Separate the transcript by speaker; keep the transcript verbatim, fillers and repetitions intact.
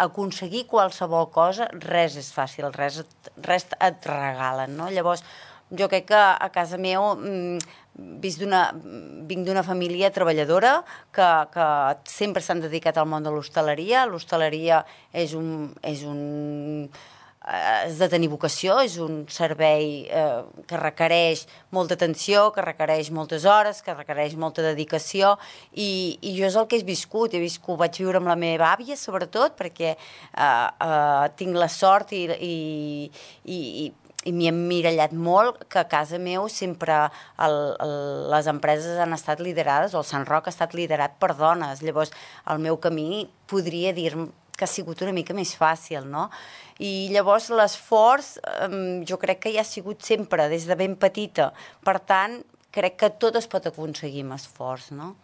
Speaker 1: aconseguir qualsevol cosa, res és fàcil, res, res et regalen, no? Llavors, jo crec que a casa meu vinc d'una família treballadora que, que sempre s'han dedicat al món de l'hostaleria. L'hostaleria és un... És un has de tenir vocació, és un servei eh, que requereix molta atenció, que requereix moltes hores, que requereix molta dedicació i, i jo és el que he viscut, he viscut, vaig viure amb la meva àvia sobretot perquè eh, eh, tinc la sort i, i, i, i m'hi he emmirallat molt que a casa meu sempre el, el, les empreses han estat liderades, o el Sant Roc ha estat liderat per dones, llavors el meu camí podria dir que ha sigut una mica més fàcil, no? I llavors l'esforç eh, jo crec que ja ha sigut sempre, des de ben petita. Per tant, crec que tot es pot aconseguir amb esforç, no?